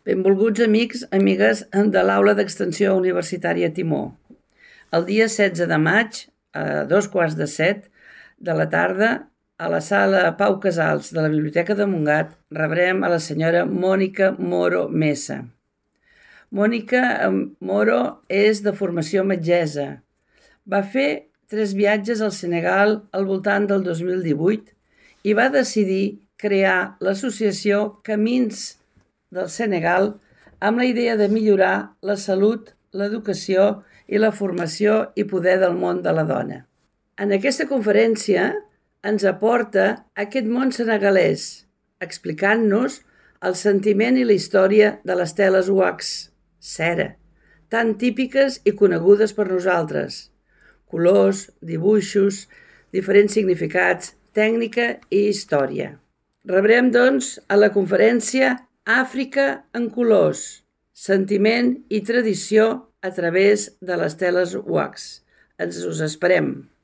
Benvolguts amics, amigues de l'Aula d'Extensió Universitària Timó. El dia 16 de maig, a 7:15 de la tarda, a la sala Pau Casals de la Biblioteca de Montgat, rebrem a la senyora Mònica Moro Mesa. Mònica Moro és de formació metgessa. Va fer 3 viatges al Senegal al voltant del 2018 i va decidir crear l'associació Camins del Senegal amb la idea de millorar la salut, l'educació i la formació i poder del món de la dona. En aquesta conferència ens aporta aquest món senegalès, explicant-nos el sentiment i la història de les teles wax, cera, tan típiques i conegudes per nosaltres. Colors, dibuixos, diferents significats, tècnica i història. Rebrem, doncs, a la conferència Àfrica en colors, sentiment i tradició a través de les teles wax. Ens us esperem.